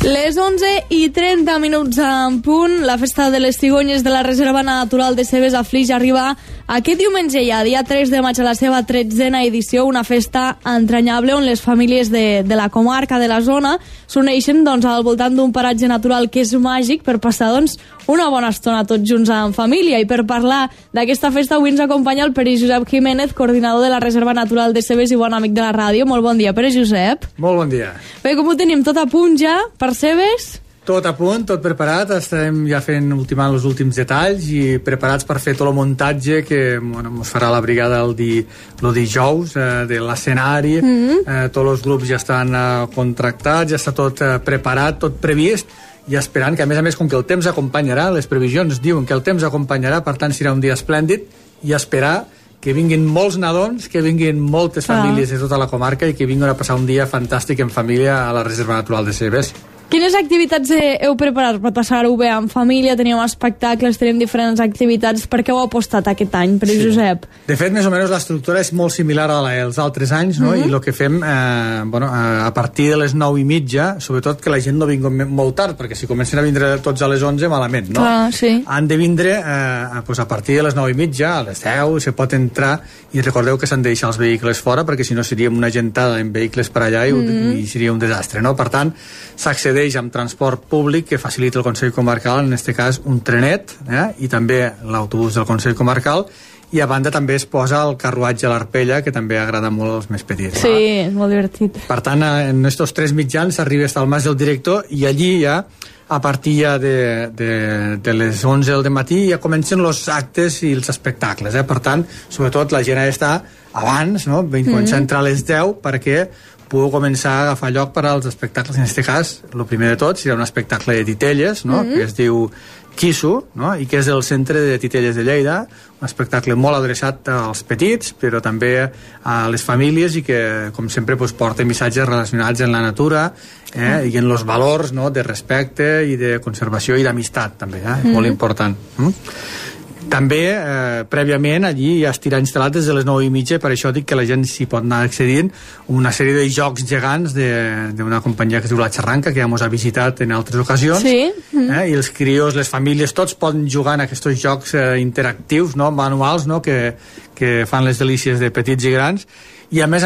Les 11:30 en punt. La festa de les cigonyes de la Reserva Natural de Cebes a Flix arriba aquest diumenge ja, dia 3 de maig, a la seva 13a edició, una festa entranyable on les famílies de la comarca, de la zona, s'uneixen al voltant d'un paratge natural que és màgic per passar una bona estona tots junts en família. I per parlar d'aquesta festa avui ens acompanya el Pere Josep Jiménez, coordinador de la Reserva Natural de Cebes i bon amic de la ràdio. Molt bon dia, Pere Josep. Molt bon dia. Bé, com ho tenim? Tot a punt ja per Cebes? Tot a punt, tot preparat, estem ja ultimant els últims detalls i preparats per fer tot el muntatge que ens farà la brigada el dijous de l'escenari. Tots els grups ja estan contractats, ja està tot preparat, tot previst, i esperant que, a més, com que el temps acompanyarà, les previsions diuen que el temps acompanyarà, per tant serà un dia esplèndid, i esperar que vinguin molts nadons, que vinguin moltes famílies de tota la comarca i que vinguin a passar un dia fantàstic en família a la Reserva Natural de Cebes. Quines activitats heu preparat per passar-ho bé en família? Teníem espectacles, tenim diferents activitats. Per què heu apostat aquest any, Pere Josep? De fet, més o menys l'estructura és molt similar a la dels altres anys, no? I el que fem, a partir de les 9:30, sobretot que la gent no vingui molt tard, perquè si comencen a vindre tots a les 11, malament, no? Clar, sí. Han de vindre a partir de les 9:30, a les 10, se pot entrar, i recordeu que s'han de deixar els vehicles fora, perquè si no seríem una gentada en vehicles per allà i seria un desastre, no? Per tant, s'accedeix amb transport públic que facilita el Consell Comarcal, en aquest cas un trenet, i també l'autobús del Consell Comarcal, i a banda també es posa el carruatge a l'Arpella, que també agrada molt als més petits. Sí, molt divertit. Per tant, en aquests 3 mitjans s'arriba fins al Mas del Director, i allí ja, a partir ja de les 11 del matí, ja comencen els actes i els espectacles. Per tant, sobretot la gent ha d'estar abans, no? Començar a entrar a les 10 perquè puc començar a agafar lloc per als espectacles. En aquest cas, el primer de tot serà un espectacle de titelles, no? Que es diu Quisso, no? I que és del Centre de Titelles de Lleida, un espectacle molt adreçat als petits, però també a les famílies, i que, com sempre, porta missatges relacionats amb la natura i en els valors, no? De respecte i de conservació i d'amistat, també, molt important. També, prèviament, allí ja estirà instal·lat des de les 9:30, per això dic que la gent s'hi pot anar accedint, una sèrie de jocs gegants d'una companyia que es diu La Xarranca, que ja ens ha visitat en altres ocasions, i els crios, les famílies, tots poden jugar en aquests jocs interactius, no? Manuals, no? Que fan les delícies de petits i grans, i a més,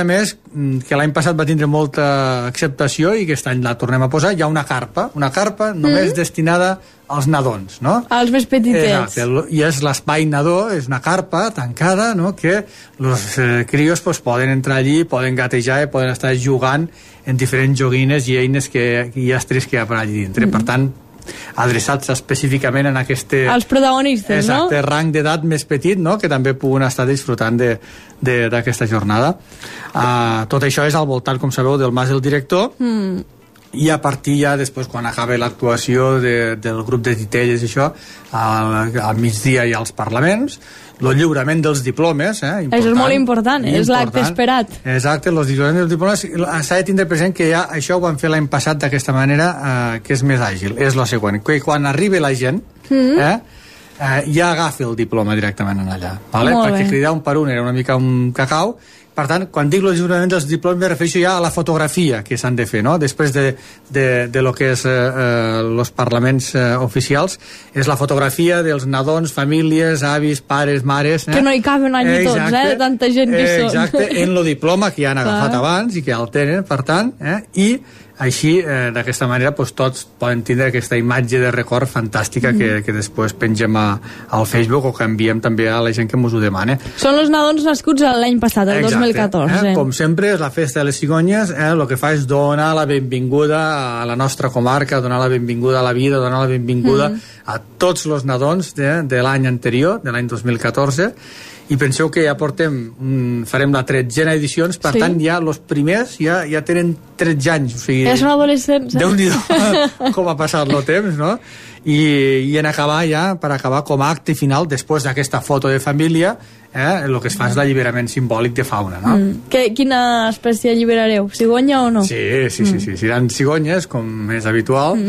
que l'any passat va tindre molta acceptació i aquest any la tornem a posar. Hi ha una carpa només destinada als nadons, no? Als més petitets. Exacte, i és l'espai nadó, és una carpa tancada, no? Que els crios poden entrar allí, poden gatejar i poden estar jugant en diferents joguines i eines i estris que hi ha per allí dintre. Per tant, adreçats específicament en als protagonistes, exacte, rang d'edat més petit, no? Que també puguen estar disfrutant d'aquesta jornada. Tot això és al voltant, com sabeu, del Mas del Director, i a partir ja després, quan acaba l'actuació del grup de titelles i això, al migdia hi ha els parlaments, el lliurament dels diplomes, important. Això és molt important, és l'acte esperat. Exacte, els lliuraments dels diplomes, s'ha de tindre present que ja això ho van fer l'any passat d'aquesta manera, que és més àgil. És la següent, que quan arribi la gent, ja agafi el diploma directament en allà, perquè cridar un per un era una mica un cacau. Per tant, quan dic el lliurament dels diplomes me refereixo ja a la fotografia que s'han de fer, no? Després de lo que és els parlaments oficials, és la fotografia dels nadons, famílies, avis, pares, mares... Que no hi caben allà tots, de tanta gent que són. Exacte, en el diploma que ja han agafat abans i que ja el tenen, per tant, i així, d'aquesta manera, tots poden tindre aquesta imatge de record fantàstica que després pengem al Facebook o que enviem també a la gent que ens ho demana. Són els nadons nascuts l'any passat, el 2014. Com sempre, és la festa de les cigonyes, el que fa és donar la benvinguda a la nostra comarca, donar la benvinguda a la vida, donar la benvinguda a tots els nadons de l'any anterior, de l'any 2014, i penseu que ja farem la 13a edició, per tant ja els primers ja tenen 13 anys, o sigui, ja són adolescents. Déu-n'hi-do com ha passat el temps, no? I per acabar com a acte final, després d'aquesta foto de família, el que es fa és l'alliberament simbòlic de fauna, no? Quina espècie alliberareu? Cigonya o no? Sí, seran cigonyes, com és habitual.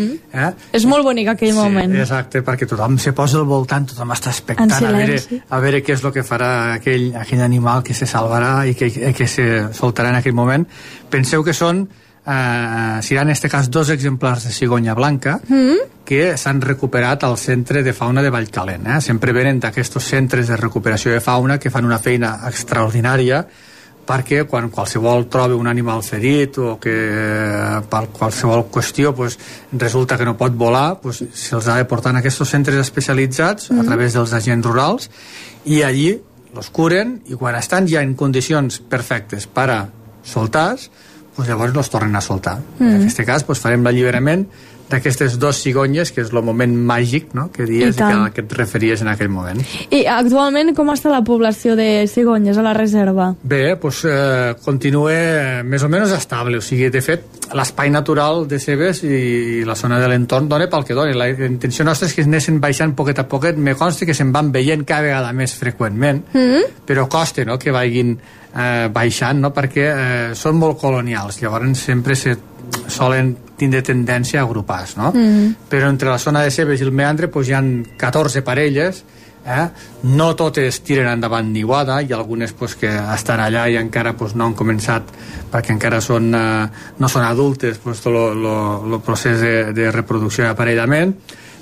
És molt bonic aquell moment. Exacte, perquè tothom se posa al voltant, tothom està expectant a veure què és el que farà aquell animal que se salvarà i que se soltarà en aquell moment. Penseu que són seran en aquest cas 2 exemplars de cigonya blanca que s'han recuperat al centre de fauna de Vallcalent. Sempre venen d'aquests centres de recuperació de fauna que fan una feina extraordinària, perquè quan qualsevol troba un animal ferit o que per qualsevol qüestió resulta que no pot volar, se'ls ha de portar en aquests centres especialitzats a través dels agents rurals, i allí els curen, i quan estan ja en condicions perfectes per a soltar-los, llavors els tornen a soltar. En aquest cas farem l'alliberament d'aquestes 2 cigonyes, que és el moment màgic, no?, que dies i que et referies en aquell moment. I actualment com està la població de cigonyes a la reserva? Bé, continua més o menys estable, o sigui, de fet, l'espai natural de Cebes i la zona de l'entorn dona pel que dona. La intenció nostra és que anessin baixant poquet a poquet, me consta que se'n van veient cada vegada més freqüentment, però costa, no?, que vagin baixant, no?, perquè són molt colonials, llavors sempre solen tindre tendència a agrupar-se, no? Però entre la zona de Cebes i el meandre hi ha 14 parelles, no totes tiren endavant niuada, i algunes que estan allà i encara no han començat perquè encara no són adultes el procés de reproducció i aparellament,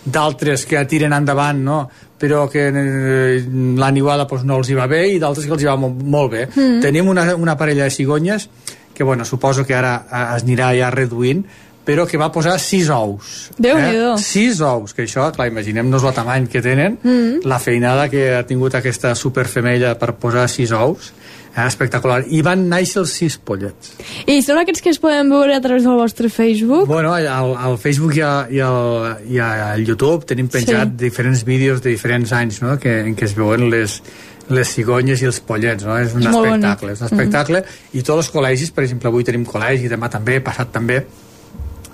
d'altres que tiren endavant, no?, però que la niuada no els hi va bé, i d'altres que els hi va molt bé. Tenim una parella de cigonyes que suposo que ara es anirà ja reduint, però que va posar 6 ous. Déu-n'hi-do. 6 ous, que això, clar, imaginem-nos el tamany que tenen, la feinada que ha tingut aquesta superfemella per posar 6 ous, espectacular. I van néixer els 6 pollets. I són aquests que es poden veure a través del vostre Facebook? Bueno, al Facebook i al YouTube tenim penjat diferents vídeos de diferents anys, no?, en què es veuen les cigonyes i els pollets, no? És un espectacle, és un espectacle. I tots els col·legis, per exemple, avui tenim col·legi, demà també, passat també,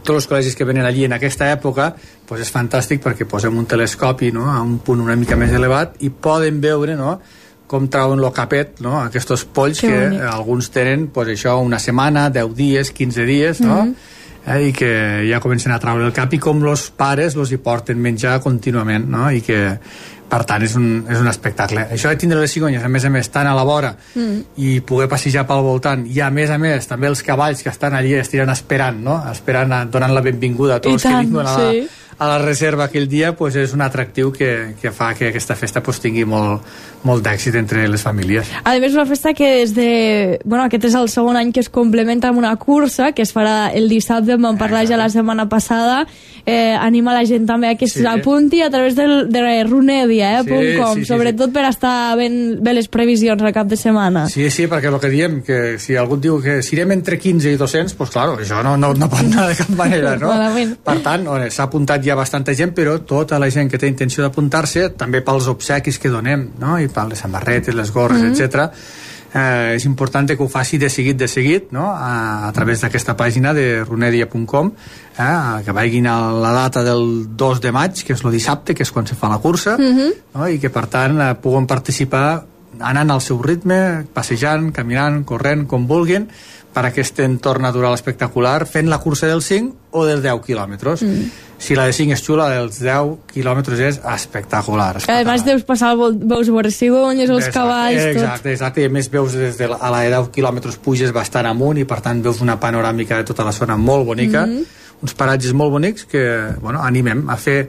tots els col·legis que venen allí en aquesta època, és fantàstic perquè posem un telescopi, no?, a un punt una mica més elevat, i poden veure, no?, com trauen el capet, no?, aquests polls que alguns tenen, això, una setmana, 10 dies, 15 dies, no?, i que ja comencen a traure el cap, i com els pares hi porten menjar contínuament, no?, i que per tant és un espectacle. Això de tindre les cigonyes a més tan a la vora i poder passejar pel voltant, i a més també els cavalls que estan allí estiren esperant, no?, donant la benvinguda a tots que vinguin a la reserva aquell dia, és un atractiu que fa que aquesta festa tingui molt d'èxit entre les famílies. A més, una festa que aquest és el segon any que es complementa amb una cursa que es farà el dissabte, en vam parlar ja la setmana passada. Anima la gent també a que s'apunti a través de runedia.com, sobretot per estar bé les previsions al cap de setmana. Sí, perquè el que diem, que si algú diu que si irem entre 15 i 200, clar, això no pot anar de cap manera, no? Per tant, s'ha apuntat ja bastanta gent, però tota la gent que té intenció d'apuntar-se, també pels obsequis que donem, no?, i per les samarretes, les gorres, etc. És important que ho faci de seguit, no?, a través d'aquesta pàgina de runedia.com, que vagin a la data del 2 de maig, que és el dissabte, que és quan se fa la cursa, no?, i que per tant puguen participar anant al seu ritme, passejant, caminant, corrent, com vulguin, per aquest entorn natural espectacular, fent la cursa dels 5 o dels 10 quilòmetres. Si la de 5 és xula, dels 10 quilòmetres és espectacular. A més deus passar, veus veure cigonyes, els cavalls, tot. Exacte, i a més veus des de a la de 10 quilòmetres puges bastant amunt, i per tant veus una panoràmica de tota la zona molt bonica, uns paratges molt bonics que animem a fer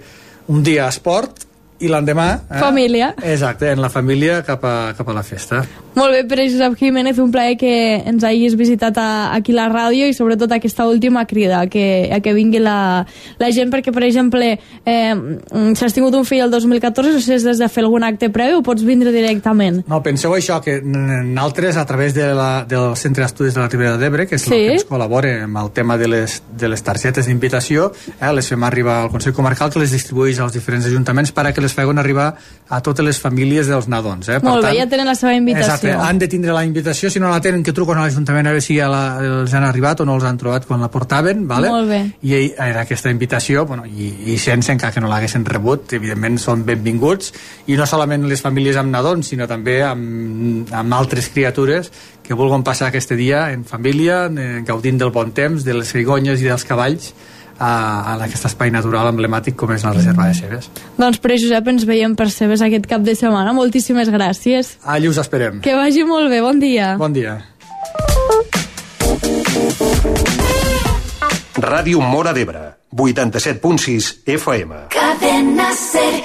un dia esport, i l'endemà família. Exacte, en la família cap a la festa. Molt bé, Pere Josep Jiménez, un plaer que ens hagis visitat aquí a la ràdio, i sobretot aquesta última crida, que vingui la gent, perquè, per exemple, si has tingut un fill el 2014, no sé si has de fer algun acte previ o pots vindre directament. No, penseu això, que nosaltres, a través del Centre d'Estudis de la Ribera d'Ebre, que és el que ens col·labora amb el tema de les targetes d'invitació, les fem arribar al Consell Comarcal, que les distribueix als diferents ajuntaments perquè les facin arribar a totes les famílies dels nadons. Molt bé, ja tenen la seva invitació. invitació. Han de tindre la invitació, si no la tenen, que truquen a l'Ajuntament a veure si ja els han arribat o no els han trobat quan la portaven, vale? Molt bé. I en aquesta invitació, bueno, i sense, encara que no l'haguessin rebut, evidentment són benvinguts, i no solament les famílies amb nadons, sinó també amb altres criatures que vulguin passar aquest dia en família, gaudint del bon temps, de les cigonyes i dels cavalls, en aquest espai natural emblemàtic com és la reserva de Cebes. Doncs Pere Josep, ens veiem per Cebes aquest cap de setmana. Moltíssimes gràcies. Allí us esperem. Que vagi molt bé, bon dia. Bon dia. Ràdio Móra d'Ebre, 87.6 FM. Cadena Ser,